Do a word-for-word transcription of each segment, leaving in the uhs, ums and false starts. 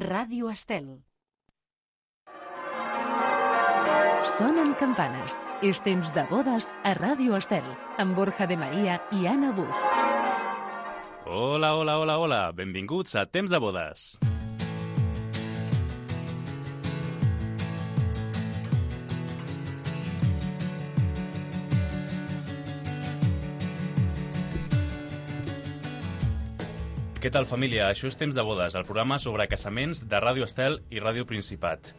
Ràdio Estel. Sonen campanes. És temps de bodes a Ràdio Estel, amb Borja de Maria i Anna Buch. Hola, hola, hola, hola. Benvinguts a Temps de bodes. Què tal, família? Això és Temps de bodes, el programa sobre casaments de Ràdio Estel i Ràdio Principat.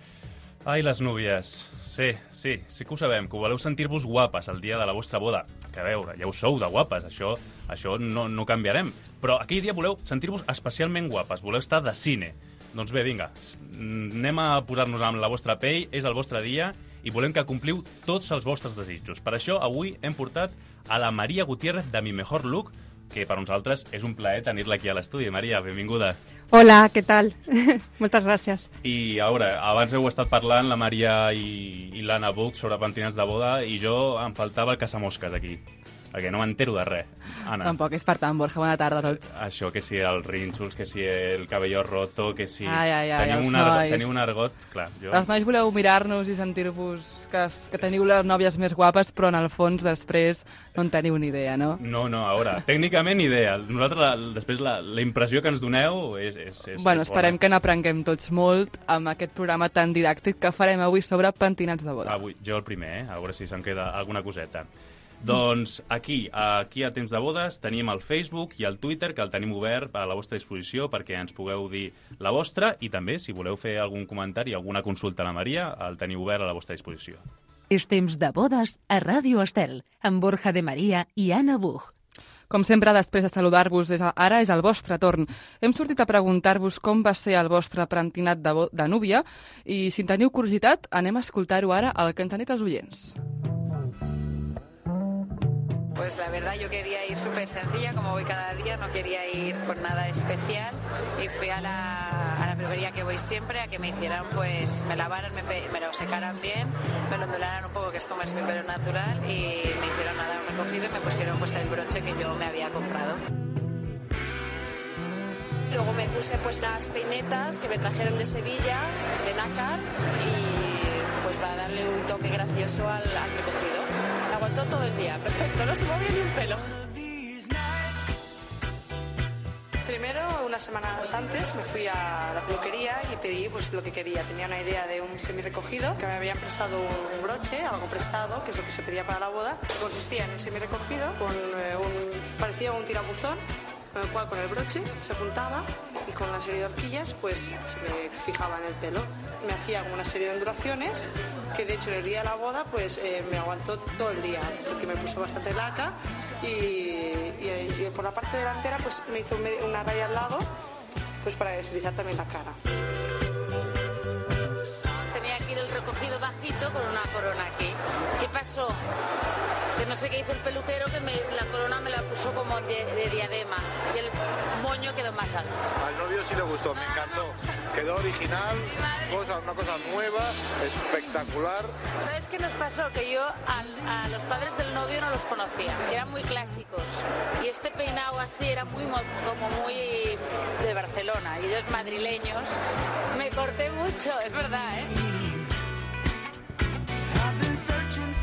Ai, les núvies. Sí, sí, sí que ho sabem, que voleu sentir-vos guapes el dia de la vostra boda. Que a veure, ja ho sou de guapes, això, això no, no canviarem. Però aquell dia voleu sentir-vos especialment guapes, voleu estar de cine. Doncs bé, vinga, anem a posar-nos amb la vostra pell, és el vostre dia i volem que compliu tots els vostres desitjos. Per això, avui hem portat a la Maria Gutiérrez de Mi Mejor Look, que per nosaltres és un plaer tenir-la aquí a l'estudi. Maria, benvinguda. Hola, què tal? Moltes gràcies. I a veure, abans heu estat parlant, la Maria i, i l'Anna Buch, sobre pentinats de boda, i jo em faltava el caçamosques aquí, perquè no m'entero de res. Anna. Tampoc és per tant, Borja, bona tarda a tots. Això, que si els rínxols, que si el cabello roto, que si... Ai, ai, ai, teniu, els un argot, nois. teniu un argot, clar. Jo... Els nois voleu mirar-nos i sentir-vos que, que teniu les nòvies més guapes, però en el fons després no en teniu ni idea, no? No, no, a veure, tècnicament ni idea. Nosaltres, la, després, la, la impressió que ens doneu és, és, és Bueno, és esperem bona. que n'aprenguem tots molt amb aquest programa tan didàctic que farem avui sobre pentinats de boda. Avui, jo el primer, eh? A veure si se'm queda alguna coseta. Doncs aquí, aquí a Temps de Bodes, tenim el Facebook i el Twitter, que el tenim obert a la vostra disposició perquè ens pugueu dir la vostra, i també, si voleu fer algun comentari, alguna consulta a la Maria, el teniu obert a la vostra disposició. És temps de bodes a Ràdio Estel, amb Borja de Maria i Anna Buch. Com sempre, després de saludar-vos, és, ara és el vostre torn. Hem sortit a preguntar-vos com va ser el vostre pentinat de, de núvia i, si en teniu curiositat, anem a escoltar-ho ara el que ens han dit els oients. Pues la verdad yo quería ir súper sencilla, como voy cada día, no quería ir con nada especial y fui a la, a la peluquería que voy siempre a que me hicieran, pues me lavaran, me, me lo secaran bien, me lo ondularan un poco, que es como es mi pelo natural, y me hicieron nada un recogido y me pusieron pues el broche que yo me había comprado. Luego me puse pues unas peinetas que me trajeron de Sevilla, de nácar, y pues para darle un toque gracioso al, al recogido. Aguantó todo el día, perfecto, no se movía ni un pelo. Primero, unas semanas antes, me fui a la peluquería y pedí pues lo que quería. Tenía una idea de un semi-recogido, que me habían prestado un broche, algo prestado, que es lo que se pedía para la boda. Consistía en un semi-recogido, con eh, un, parecía un tirabuzón, con el cual con el broche se juntaba y con una serie de horquillas pues se me fijaba en el pelo. Me hacía una serie de ondulaciones que de hecho el día de la boda pues eh, me aguantó todo el día porque me puso bastante laca y, y, y por la parte delantera pues me hizo una raya al lado pues para deslizar también la cara. Tenía aquí el recogido bajito con una corona aquí. ¿Qué pasó? Que no sé qué hizo el peluquero, que me, la corona me la puso como de, de diadema y el moño quedó más alto. Al novio sí le gustó, no, me no, encantó. No. Quedó original, cosa, una cosa nueva, espectacular. ¿Sabes qué nos pasó? Que yo al, a los padres del novio no los conocía, eran muy clásicos. Y este peinado así era muy como muy de Barcelona, y ellos madrileños. Me corté mucho, es verdad, ¿eh?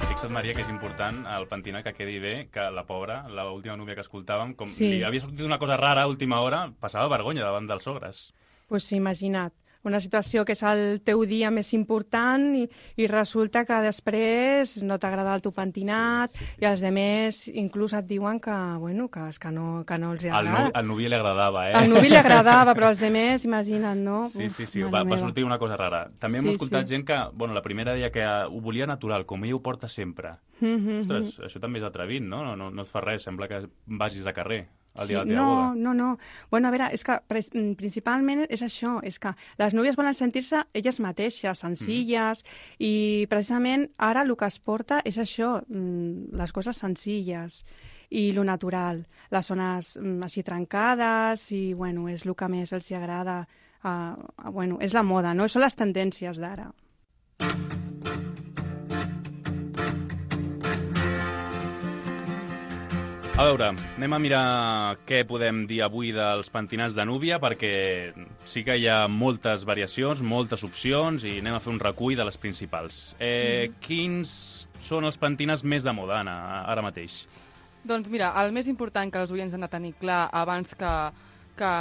Fixa't, Maria, que és important el pentinat que quedi bé, que la pobra, l'última núvia que escoltàvem, com Sí. li havia sortit una cosa rara a última hora, passava vergonya davant dels sogres. Pues sí, imagina't. Una situació que és el teu dia més important i, i resulta que després no t'agrada el teu pentinat sí, sí, sí. i els demés inclús et diuen que, bueno, que, és que, no, que no els Al, agrada. nu, al nuvi li agradava, eh? Al nuvi li agradava, però als demés, imagina't, no? Sí, sí, sí, Uf, va, mare va meva. sortir una cosa rara. També hem Sí, escoltat sí. gent que, bueno, la primera deia que ho volia natural, com ella ho porta sempre. Mm -hmm. Ostres, això també és atrevit, no? No, no? no et fa res, sembla que vagis de carrer el Sí, dia de la teva no, boda. no, no. Bueno, a veure, és que principalment és això, és que les núvies volen sentir-se elles mateixes, senzilles, mm. i precisament ara el que es porta és això, les coses senzilles i lo natural, les zones així trencades, i bueno, és el que més els agrada. Uh, bueno, és la moda, no? Són les tendències d'ara. A veure, anem a mirar què podem dir avui dels pentinats de núvia, perquè sí que hi ha moltes variacions, moltes opcions, i anem a fer un recull de les principals. Eh, mm. Quins són els pentinats més de moda, Anna, ara mateix? Doncs mira, el més important que els oients han de tenir clar abans que... que...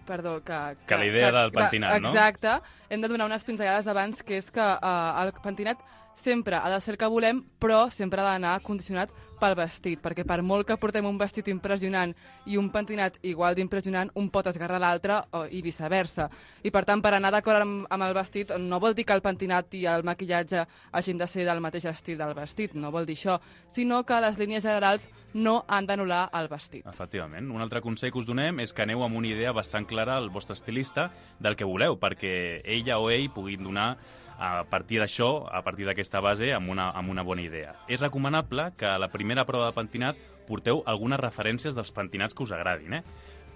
Perdó, que... Que, que la idea que, del pentinat, no? Exacte. Hem de donar unes pinzellades abans, que és que eh, el pentinat sempre ha de ser el que volem, però sempre ha d'anar condicionat pel vestit, perquè per molt que portem un vestit impressionant i un pentinat igual d'impressionant, un pot esgarrar l'altre i viceversa. I per tant, per anar d'acord amb, amb el vestit, no vol dir que el pentinat i el maquillatge hagin de ser del mateix estil del vestit, no vol dir això, sinó que les línies generals no han d'anul·lar el vestit. Efectivament. Un altre consell que us donem és que aneu amb una idea bastant clara al vostre estilista del que voleu, perquè ella o ell puguin donar a partir d'això, a partir d'aquesta base, amb una, amb una bona idea. És recomanable que a la primera prova de pentinat porteu algunes referències dels pentinats que us agradin, eh?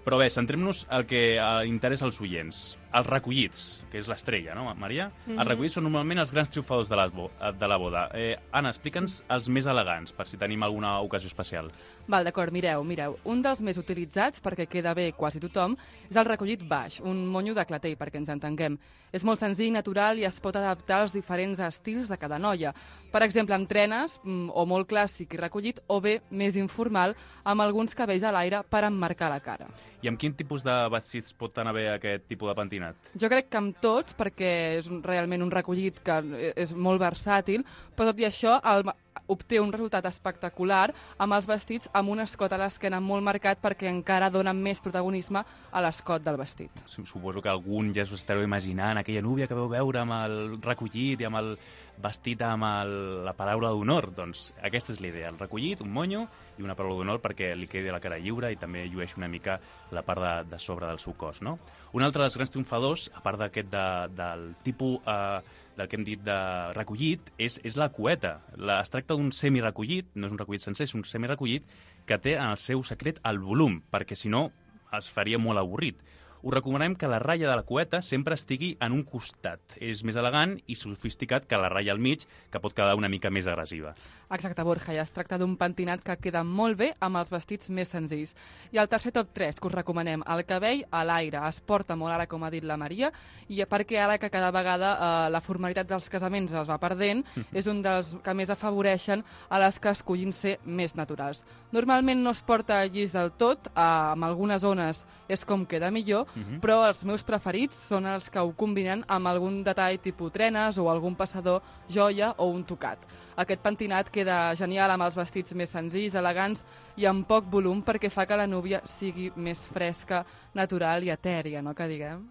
Però bé, centrem-nos al que interessa als oients. Els recollits, que és l'estrella, no, Maria? Mm-hmm. Els recollits són normalment els grans triomfadors de la, de la boda. Eh, Anna, explica'ns sí. els més elegants, per si tenim alguna ocasió especial. Val, d'acord, mireu, mireu. Un dels més utilitzats, perquè queda bé quasi tothom, és el recollit baix, un monyo de clatell, perquè ens entenguem. És molt senzill, natural i es pot adaptar als diferents estils de cada noia. Per exemple, amb trenes, o molt clàssic i recollit, o bé més informal, amb alguns cabells a l'aire per emmarcar la cara. I amb quin tipus de vestits pot anar bé aquest tipus de pentinat? Jo crec que amb tots, perquè és realment un recollit que és molt versàtil, però tot i això el, obté un resultat espectacular amb els vestits amb un escot a l'esquena molt marcat perquè encara dona més protagonisme a l'escot del vestit. Suposo que algun ja us estareu imaginant aquella núvia que veu veure amb el recollit i amb el vestit amb el, la paraula d'honor. Doncs aquesta és l'idea, el recollit, un monyo i una paraula d'honor perquè li quedi la cara lliure i també llueix una mica la part de, de sobre del seu cos, no? Un altre dels grans triomfadors, a part d'aquest de, del tipus eh, del que hem dit de recollit, és, és la cueta. La, es tracta d'un semirecollit, no és un recollit sencer, és un semirecollit que té en el seu secret el volum, perquè si no es faria molt avorrit. Us recomanem que la ratlla de la cueta sempre estigui en un costat. És més elegant i sofisticat que la ratlla al mig, que pot quedar una mica més agressiva. Exacte, Borja, ja es tracta d'un pentinat que queda molt bé amb els vestits més senzills. I el tercer top tres que us recomanem, el cabell a l'aire. Es porta molt ara, com ha dit la Maria, i perquè ara que cada vegada eh, la formalitat dels casaments es va perdent, és un dels que més afavoreixen a les que escollin ser més naturals. Normalment no es porta llis del tot, eh, amb algunes zones és com queda millor, Uh-huh. però els meus preferits són els que ho combinen amb algun detall tipus trenes o algun passador, joia o un tocat. Aquest pentinat queda genial amb els vestits més senzills, elegants i amb poc volum perquè fa que la núvia sigui més fresca, natural i etèria, no que diguem?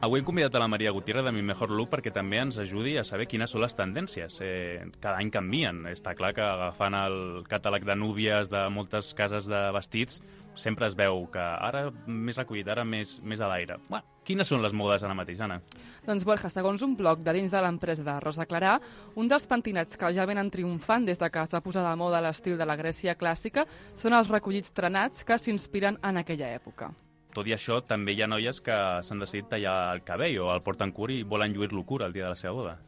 Avui hem convidat a la Maria Gutiérrez de Mi Mejor Look perquè també ens ajudi a saber quines són les tendències. Eh, cada any canvien. Està clar que agafant el catàleg de núvies de moltes cases de vestits sempre es veu que ara més recollit, ara més, més a l'aire. Bueno, quines són les modes ara mateix, Anna? Doncs, Borja, segons un blog de dins de l'empresa de Rosa Clarà, un dels pentinats que ja venen triomfant des de que es va posar de moda l'estil de la Grècia clàssica són els recollits trenats que s'inspiren en aquella època. Tot i això, també hi ha noies que s'han decidit tallar el cabell o el porten curt i volen lluir-lo curt el dia de la seva boda.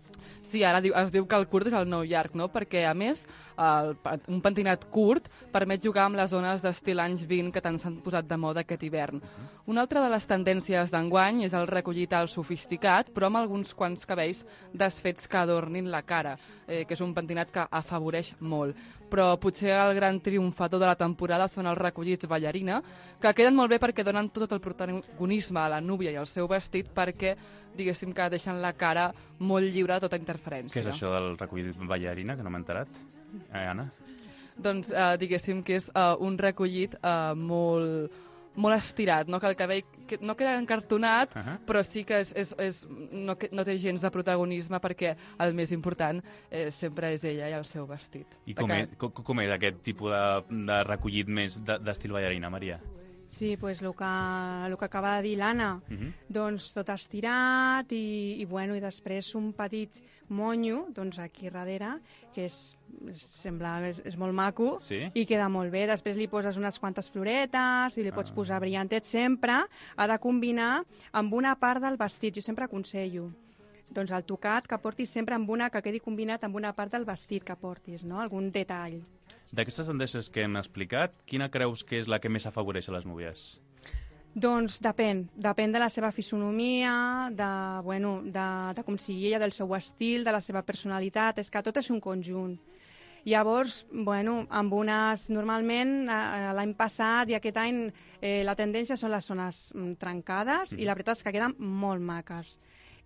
Sí, ara es diu que el curt és el nou llarg, no? Perquè, a més, el, un pentinat curt permet jugar amb les zones d'estil anys vint que tant s'han posat de moda aquest hivern. Uh-huh. Una altra de les tendències d'enguany és el recollit al sofisticat, però amb alguns quants cabells desfets que adornin la cara, eh, que és un pentinat que afavoreix molt. Però potser el gran triomfador de la temporada són els recollits ballarina, que queden molt bé perquè donen tot el protagonisme a la núvia i al seu vestit perquè, diguéssim, que deixen la cara molt lliure de tota interferència. Què és això del recollit ballarina, que no m'he enterat? Eh, Anna? Doncs, eh, diguéssim que és eh, un recollit eh, molt, molt estirat, no? Que el cabell que no queda encartonat, uh -huh. però sí que és, és, és, no, no té gens de protagonisme perquè el més important eh, sempre és ella i el seu vestit. I com, que... és, com, com és aquest tipus de, de recollit més d'estil ballarina, Maria? Sí, pues el que, el que acaba de dir l'Anna, uh -huh. doncs tot estirat i, i, bueno, i després un petit monyo, doncs aquí darrere, que és, sembla, és, és molt maco, sí? I queda molt bé. Després li poses unes quantes floretes i li pots ah. posar brillantet. Sempre ha de combinar amb una part del vestit. Jo sempre aconsello doncs el tocat que portis sempre amb una, que quedi combinat amb una part del vestit que portis, no? Algun detall. D'aquestes tendències que hem explicat, quina creus que és la que més afavoreix a les núvies? Doncs depèn. Depèn de la seva fisonomia, de, bueno, de, de com sigui ella, del seu estil, de la seva personalitat. És que tot és un conjunt. Llavors, bueno, amb unes... Normalment, l'any passat i aquest any, eh, la tendència són les zones trencades mm. i la veritat és que queden molt maques.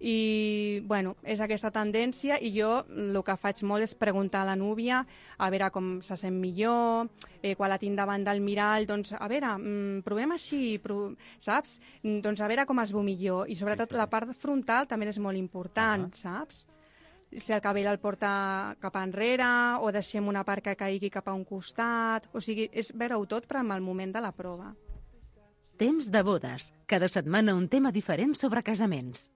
I, bueno, és aquesta tendència i jo el que faig molt és preguntar a la núvia a veure com se sent millor, eh, quan la tinc davant del mirall, doncs, a veure, mm, provem així, prov... saps? Doncs a veure com es veu millor. I sobretot sí, la part frontal també és molt important, uh -huh. saps? Si el cabell el porta cap enrere o deixem una part que caigui cap a un costat, o sigui, és veure-ho tot però en el moment de la prova. Temps de bodes. Cada setmana un tema diferent sobre casaments.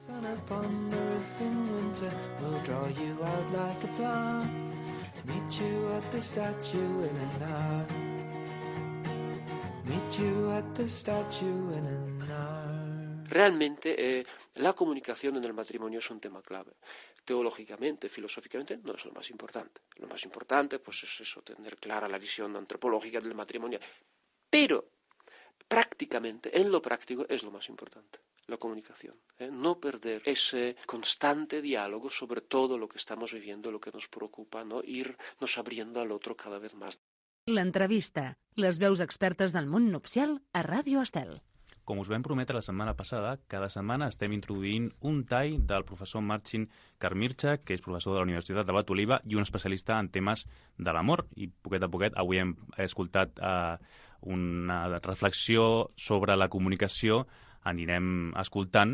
Sun upon the roof in winter will draw you out like a flower. Meet you at the statue in an hour. Meet you at the statue in an hour. Realmente eh, la comunicación en el matrimonio es un tema clave. Teológicamente, filosóficamente, no es lo más importante. Lo más importante pues es eso, tener clara la visión antropológica del matrimonio. Pero prácticamente, en lo práctico, es lo más importante. La comunicación, ¿eh? No perder ese constante diálogo sobre todo lo que estamos viviendo, lo que nos preocupa, ¿no? Irnos abriendo al otro cada vez más. L'entrevista, les veus expertes del món nupcial a Ràdio Estel. Com us vam prometre la setmana passada, cada setmana estem introduint un tall del professor Marcin Karmirczak, que és professor de la Universitat de Bat-Oliva i un especialista en temes de l'amor. I poquet a poquet avui hem escoltat eh, una reflexió sobre la comunicació. Anirem escoltant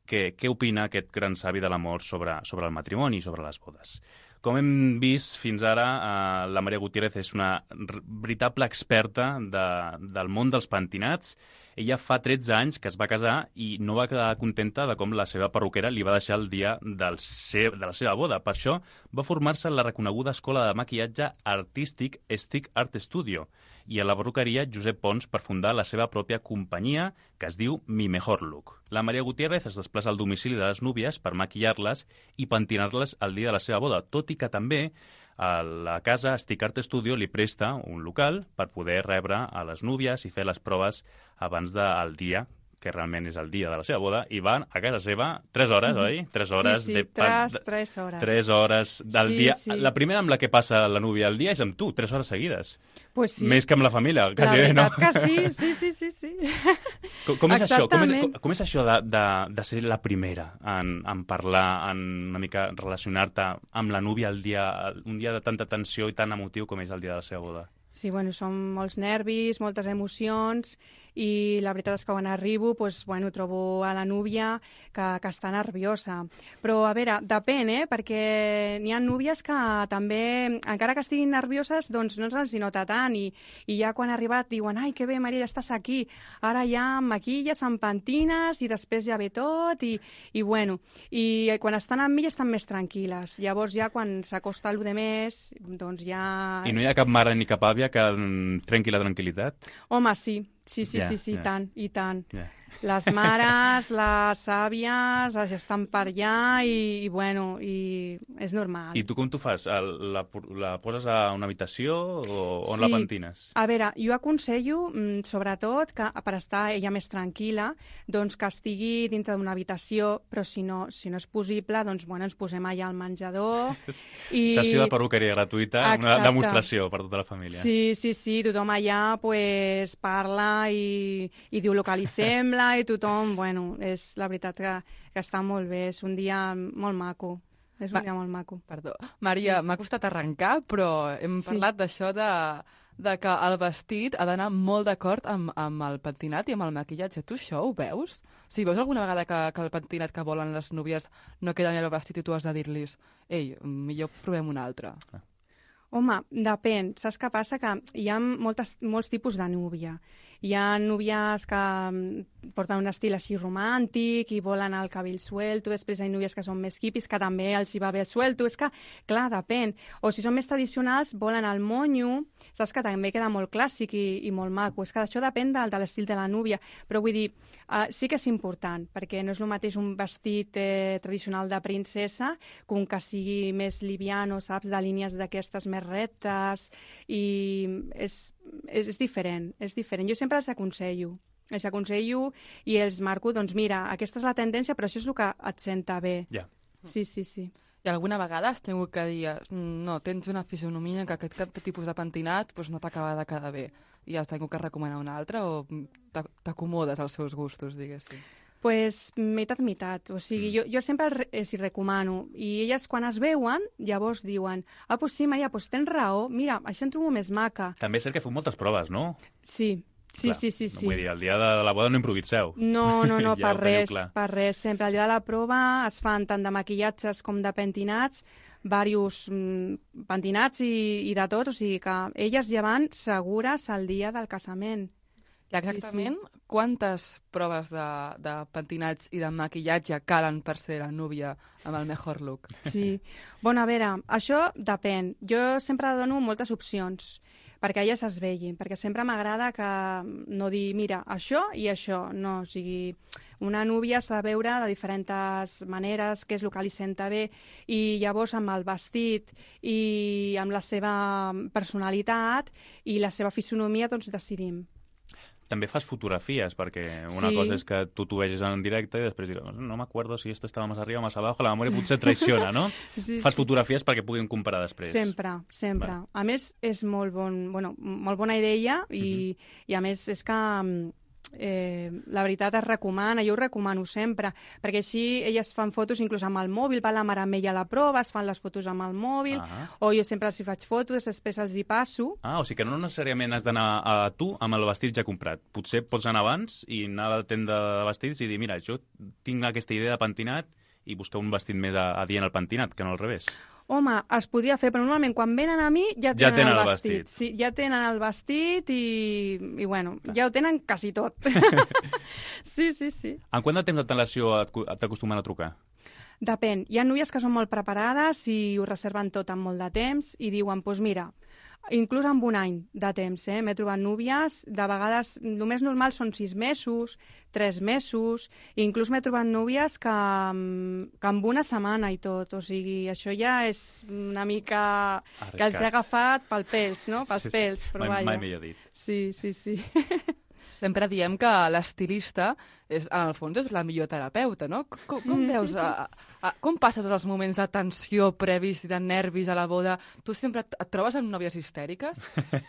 què, què opina aquest gran savi de l'amor sobre, sobre el matrimoni i sobre les bodes. Com hem vist fins ara, eh, la Maria Gutiérrez és una veritable experta de, del món dels pentinats. Ella fa tretze anys que es va casar i no va quedar contenta de com la seva perruquera li va deixar el dia del seu, de la seva boda. Per això va formar-se en la reconeguda escola de maquillatge artístic Stick Art Studio i a la perruqueria Josep Pons per fundar la seva pròpia companyia que es diu Mi Mejor Look. La Maria Gutiérrez es desplaça al domicili de les núvies per maquillar-les i pentinar-les el dia de la seva boda, tot i que també a la casa Stick Art Studio li presta un local per poder rebre a les núvies i fer les proves abans del dia, que realment és el dia de la seva boda, i van a casa seva tres hores, mm-hmm. oi? Tres hores. Sí, sí, de... tres, tres hores. Tres hores del sí, dia. Sí. La primera amb la que passa la núvia al dia és amb tu, tres hores seguides. Pues sí. Més que amb la família, quasi bé, no? La veritat que sí, sí, sí, sí. sí. Com, com, és això? Com, és, com, com és això de, de, de ser la primera en, en parlar, en una mica relacionar-te amb la núvia el dia, un dia de tanta tensió i tan emotiu com és el dia de la seva boda? Sí, bueno, són molts nervis, moltes emocions, i la veritat és que quan arribo, doncs, bueno, trobo a la núvia que, que està nerviosa. Però, a veure, depèn, eh? Perquè n'hi ha núvies que també, encara que estiguin nervioses, doncs no ens hi nota tant, i, i ja quan ha arribat diuen, ai, que bé, Maria, ja estàs aquí, ara ja em maquilles, em pentines, i després ja ve tot, i, i bueno, i quan estan amb mi estan més tranquil·les. Llavors ja quan s'acosta allò de més, doncs ja... I no hi ha cap mare ni cap àvia que trenqui la tranquil·litat? Home, sí. Sí, sí, yeah, sí, sí, yeah. i tant, i tant. Yeah. Les mares, les àvies, estan per allà i, i, bueno, i és normal. I tu com t'ho fas? La, la poses a una habitació o on sí. la pentines? A veure, jo aconsello, sobretot, que per estar ella més tranquil·la, doncs que estigui dintre d'una habitació, però si no, si no és possible, doncs bueno, ens posem allà al menjador. I... Sessió de perruqueria gratuïta, exacte. Una demostració per tota la família. Sí, sí, sí, tothom allà pues, parla i, i diu el que li sembla i tothom, bueno, és la veritat que, que està molt bé, és un dia molt maco. És un Ma dia molt maco. Perdó. Maria, sí. M'ha costat arrencar, però hem sí. parlat d'això de, de que el vestit ha d'anar molt d'acord amb, amb el pentinat i amb el maquillatge. Tu això ho veus? O sigui, veus alguna vegada que, que el pentinat que volen les núvies no queda bé el vestit i tu has de dir-los ei, millor provem un altre? Home, depèn. Saps què passa? Que hi ha moltes, molts tipus de núvia. Hi ha núvies que porten un estil així romàntic i volen el cabell suelto, després hi ha núvies que són més hippies, que també els hi va bé el suelto. És que, clar, depèn. O si són més tradicionals, volen el monyo, saps que també queda molt clàssic i, i molt maco. És que això depèn de, de l'estil de la núvia. Però vull dir, uh, sí que és important, perquè no és el mateix un vestit eh, tradicional de princesa que un que sigui més liviano, saps, de línies d'aquestes més rectes, i és, és, és diferent, és diferent. Jo sempre els aconsello, els aconsello i els marco, doncs mira, aquesta és la tendència, però això és el que et senta bé. Ja. Sí, sí, sí. I alguna vegada has tingut que dir, no, tens una fisonomia que aquest tipus de pentinat doncs no t'acaba de quedar bé, i has tingut que recomanar un altre, o t'acomodes als seus gustos, diguéssim? Pues meitat, meitat. O sigui, mm. jo, jo sempre els hi recomano. I elles, quan es veuen, llavors diuen, ah, pues sí, Maria, pues tens raó, mira, això em trobo més maca. També és cert que feu moltes proves, no? Sí, sí, clar, sí, sí, sí. No vull dir, el dia de la boda no improviseu. No, no, no, ja per res, per res. Sempre al dia de la prova es fan tant de maquillatges com de pentinats, diversos mm, pentinats i, i de tot, o sigui que elles ja van segures al dia del casament. I exactament sí, sí. Quantes proves de, de pentinats i de maquillatge calen per ser la núvia amb el mejor look? Sí. Bueno, a veure, això depèn. Jo sempre dono moltes opcions perquè elles es vegin, perquè sempre m'agrada que no dir, mira, això i això. No, o sigui, una núvia s'ha de veure de diferents maneres, què és el que li senta bé, i llavors amb el vestit i amb la seva personalitat i la seva fisonomia, doncs decidim. També fas fotografies, perquè una sí. cosa és que tu t'ho vegis en directe i després diràs, no me acuerdo si esto estaba más arriba o más abajo, la memòria potser traiciona, no? Sí, fas sí. fotografies perquè puguin comparar després. Sempre, sempre. Vale. A més, és molt, bon, bueno, molt bona idea i, uh-huh. i a més és que eh, la veritat es recomana, jo ho recomano sempre, perquè així elles fan fotos inclús amb el mòbil, va la mare amb ella a la prova, es fan les fotos amb el mòbil, ah. o jo sempre els hi faig fotos, després els hi passo. Ah, o sigui que no necessàriament has d'anar a tu amb el vestit ja comprat. Potser pots anar abans i anar a la tenda de vestits i dir, mira, jo tinc aquesta idea de pentinat i buscar un vestit més adient al pentinat, que no al revés. Home, es podria fer, però normalment quan venen a mi ja tenen, ja tenen el, el vestit. vestit. Sí, ja tenen el vestit i, i bueno, clar. Ja ho tenen quasi tot. Sí, sí, sí. En quant de temps d'antelació t'acostumen a trucar? Depèn. Hi ha núvies que són molt preparades i ho reserven tot amb molt de temps i diuen, doncs pues mira, inclús amb un any de temps, eh? M'he trobat núvies, de vegades, el més normal són sis mesos, tres mesos, i inclús m'he trobat núvies que, que amb una setmana i tot, o sigui, això ja és una mica arriscat. Que els he agafat pel pèls, no? Pels sí, pèls, però mai, vaja. Mai millor dit. Sí, sí, sí. Sempre diem que l'estilista, és, en el fons, és la millor terapeuta, no? Com, com veus, a, a, com passes els moments de tensió previs i de nervis a la boda? Tu sempre et, et trobes amb nòvies histèriques?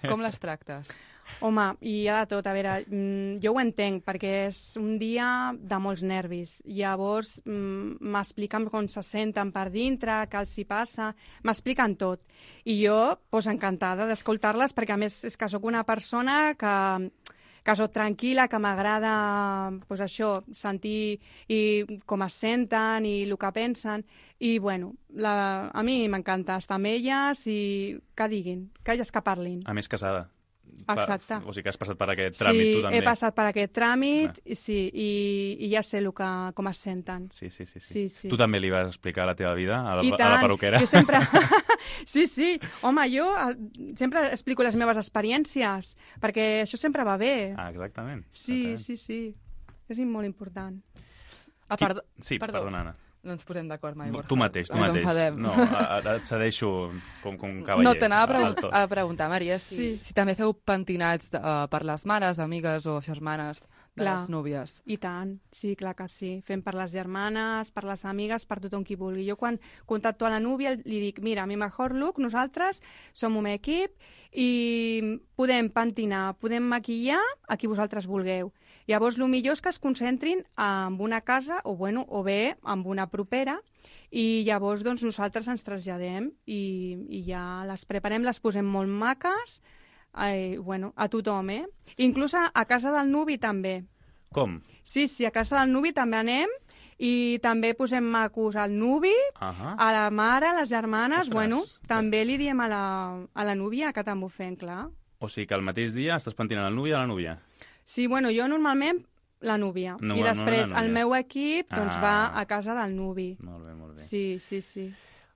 Com les tractes? Home, hi ha de tot. A veure, jo ho entenc, perquè és un dia de molts nervis. Llavors, m'expliquen com se senten per dintre, què els hi passa, m'expliquen tot. I jo, doncs, encantada d'escoltar-les, perquè a més és que sóc una persona que... que soc tranquil·la, que m'agrada pues això, sentir i com es senten i el que pensen. I, bueno, la, a mi m'encanta estar amb elles i que diguin, que elles que parlin. A més, casada. Exacte. O sigui que has passat per aquest tràmit, sí, tu també. Sí, he passat per aquest tràmit, i, sí, i, i ja sé el que, com es senten. Sí, sí, sí, sí. sí, sí. Tu també li vas explicar la teva vida a la, I a tant. la perruquera? Jo sempre... Sí, sí. Home, jo sempre explico les meves experiències, perquè això sempre va bé. Ah, exactament. Sí, exactament. sí, sí. És molt important. A part... Sí, perdó. perdona, Anna. No ens posem d'acord mai, Borja. Tu mateix, tu ens mateix. Enfadem. No, et cedeixo com, com un cavaller. No, t'anava a, pregun a preguntar, Maria, si, sí. si també feu pentinats uh, per les mares, amigues o germanes de clar. Les núvies. I tant, sí, clar que sí. Fem per les germanes, per les amigues, per tothom qui vulgui. Jo quan contacto a la núvia li dic, mira, mi mejor look, nosaltres som un equip i podem pentinar, podem maquillar a qui vosaltres vulgueu. Llavors, el millor és que es concentrin en una casa o, bueno, o bé en una propera i llavors doncs, nosaltres ens traslladem i, i ja les preparem, les posem molt maques eh, bueno, a tothom, eh? Inclús a, a casa del nuvi també. Com? Sí, sí, a casa del nuvi també anem I també posem macos al nuvi, uh -huh. a la mare, a les germanes, Ostres. bueno, també li diem a la, a la núvia que també ho fem, clar. O sigui que al mateix dia estàs pentinant el nuvi a la núvia. Sí, bueno, jo normalment la núvia. No, I després no, no, el meu equip doncs, ah. va a casa del nuvi. Molt bé, molt bé. Sí, sí, sí.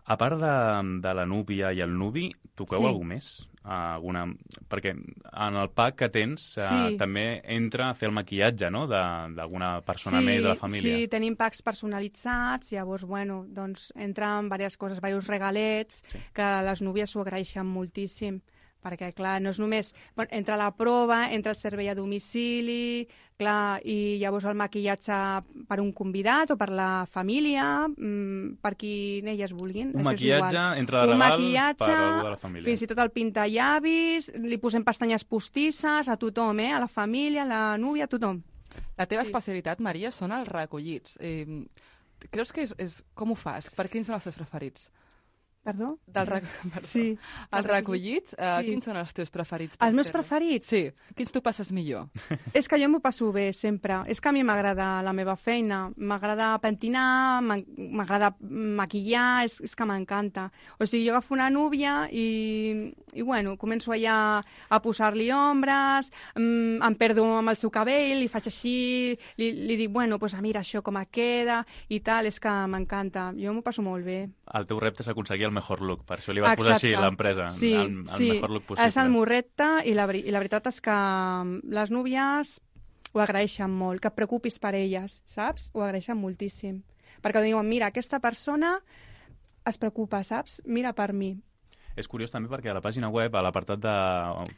A part de, de la núvia i el nuvi, toqueu Sí. alguna més? Alguna... Perquè en el pack que tens eh, Sí. també entra a fer el maquillatge, no?, de- d'alguna persona sí, més de la família. Sí, tenim packs personalitzats, llavors, bueno, doncs entren diverses coses, diversos regalets, Sí. que les núvies s'ho agraeixen moltíssim, perquè, clar, no és només... Bueno, entra la prova, entra el servei a domicili, clar, i llavors el maquillatge per un convidat o per la família, mmm, per qui elles vulguin. Un això és maquillatge igual. entra de Un regal maquillatge, per algú de la família. Fins i tot el pintallavis, li posem pestanyes postisses a tothom, eh? A la família, a la núvia, a tothom. La teva Sí. especialitat, Maria, són els recollits. Eh, creus que és, és... Com ho fas? Per quins són els teus preferits? Perdó? Del rec... Perdó. Sí. Els recollits, eh, Sí. quins són els teus preferits? Els meus fer-los? preferits? Sí. Quins tu passes millor? És que jo m'ho passo bé, sempre. És que a mi m'agrada la meva feina. M'agrada pentinar, m'en- m'agrada maquillar, és, és que m'encanta. O sigui, jo agafo una núvia i, i bueno, començo allà a posar-li ombres, mm, em perdo amb el seu cabell, li faig així, li, li dic, bueno, pues mira això com et queda i tal, és que m'encanta. Jo m'ho passo molt bé. El teu repte és aconseguir el mejor look, per això li vas posar així Exacte. l'empresa, Sí, el, el sí. mejor look possible. És el meu repte i la, veri- i la veritat és que les núvies ho agraeixen molt, que et preocupis per elles, saps? Ho agraeixen moltíssim. Perquè diuen, mira, aquesta persona es preocupa, saps? Mira per mi. És curiós també perquè a la pàgina web, a l'apartat de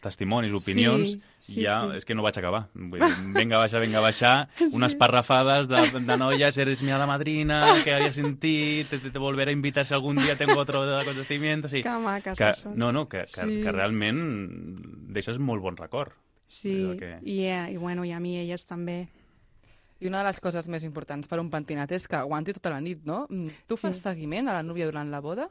testimonis, opinions, Sí, sí, ja sí. és que no vaig acabar. Vull dir, venga a baixar, venga a baixar, unes parrafades de, de noies, eres mi hada madrina, que había sentit, te, te, te volveré a invitar si algun dia tengo otro acontecimiento. O sigui, Que maques que, són. no, no, que, que, Sí. que realment deixes molt bon record. Sí, Allò que... i, eh, i bueno, i a mi elles també. I una de les coses més importants per un pentinat és que aguanti tota la nit, no? Mm, Tu Sí. fas seguiment a la núvia durant la boda?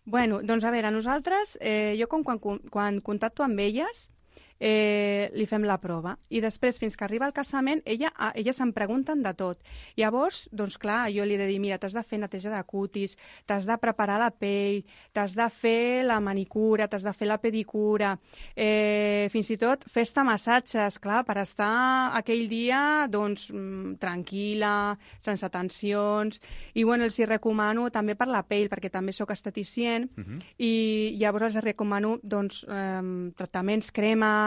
Bueno, doncs a veure, nosaltres, eh, jo com quan, quan contacto amb elles, eh, li fem la prova. I després, fins que arriba el casament, ella, a, elles em pregunten de tot. Llavors, doncs clar, jo li he de dir, mira, t'has de fer neteja de cutis, t'has de preparar la pell, t'has de fer la manicura, t'has de fer la pedicura, eh, fins i tot fes-te massatges, clar, per estar aquell dia, doncs, mm, tranquil·la, sense tensions. I, bueno, els hi recomano també per la pell, perquè també sóc esteticient, Uh -huh. i llavors els recomano doncs, eh, tractaments, cremes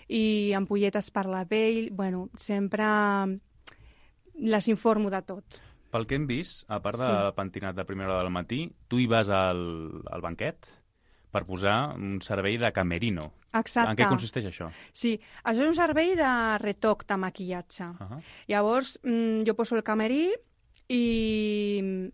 i ampolletes per la pell. Bueno, sempre les informo de tot. Pel que hem vist, a part Sí. del pentinat de primera hora del matí, tu hi vas al, al banquet per posar un servei de camerino. Exacte. En què consisteix això? Sí, això és un servei de retoc de maquillatge. Uh -huh. Llavors, mm, jo poso el camerí i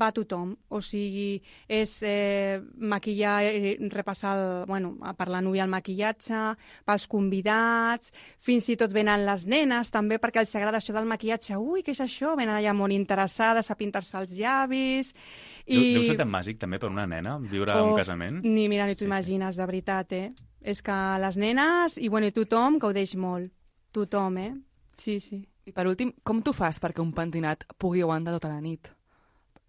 va tothom. O sigui, és eh, maquillar i repassar el, bueno, per la núvia el maquillatge, pels convidats, fins i tot venen les nenes també, perquè els agrada això del maquillatge. Ui, què és això? Venen allà molt interessades a pintar-se els llavis. I... Deu ser tan màgic també per una nena viure oh, un casament? Ni, mira, ni t'ho Sí, sí. imagines, de veritat, eh? És que les nenes, i bueno, i tothom gaudeix molt. Tothom, eh? Sí, sí. I per últim, com tu fas perquè un pentinat pugui aguantar tota la nit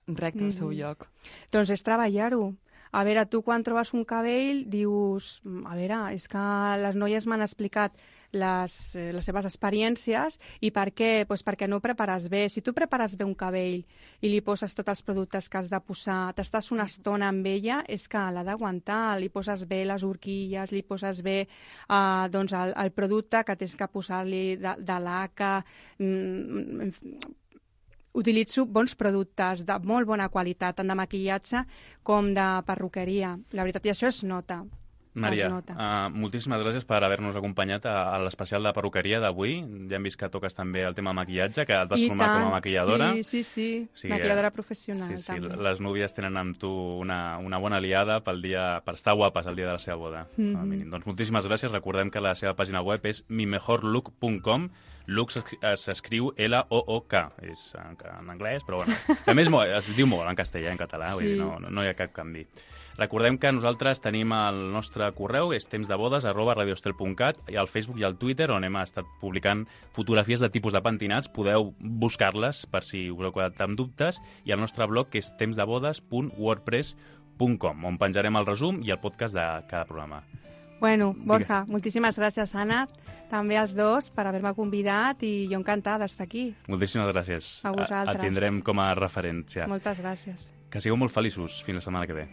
recte al seu Mhm. lloc? Doncs és treballar-ho. A veure, tu quan trobes un cabell dius, a veure, és que les noies m'han explicat les, eh, les seves experiències i per què? Pues perquè no ho prepares bé. Si tu prepares bé un cabell i li poses tots els productes que has de posar, t'estàs una estona amb ella, és que l'ha d'aguantar. Li poses bé les horquilles, li poses bé eh, doncs el, el producte que tens que posar-li de, de laca. Mm, utilitzo bons productes de molt bona qualitat, tant de maquillatge com de perruqueria. La veritat, i això es nota. Maria, Es nota. uh, moltíssimes gràcies per haver-nos acompanyat a, a l'especial de perruqueria d'avui. Ja hem vist que toques també el tema maquillatge, que et vas I formar tant, com a maquilladora. Sí, sí, sí. Sí, Maquilladora eh, professional, sí, sí, també. les núvies tenen amb tu una, una bona aliada pel dia, per estar guapes el dia de la seva boda. Mhm. Com a mínim. Doncs moltíssimes gràcies. Recordem que la seva pàgina web és mi mejor look punt com. Look s'escriu L O O K. És en, en anglès, però bueno. També és molt, es diu molt en castellà, en català, vull Sí. dir, no, no hi ha cap canvi. Recordem que nosaltres tenim el nostre correu, és tempsdebodes arroba radiostel punt cat, i al Facebook i al Twitter, on hem estat publicant fotografies de tipus de pentinats. Podeu buscar-les per si us heu quedat amb dubtes, i el nostre blog, que és tempsdebodes punt wordpress punt com, on penjarem el resum i el podcast de cada programa. Bueno, Borja, moltíssimes gràcies, Anna, també als dos per haver-me convidat i jo encantada d'estar aquí. Moltíssimes gràcies. A vosaltres. Et tindrem com a referència. Moltes gràcies. Que sigueu molt feliços. Fins la setmana que ve.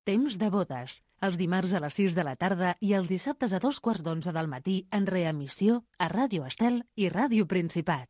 Temps de bodes, els dimarts a les sis de la tarda i els dissabtes a dos quarts d'onze del matí en reemissió a Ràdio Estel i Ràdio Principat.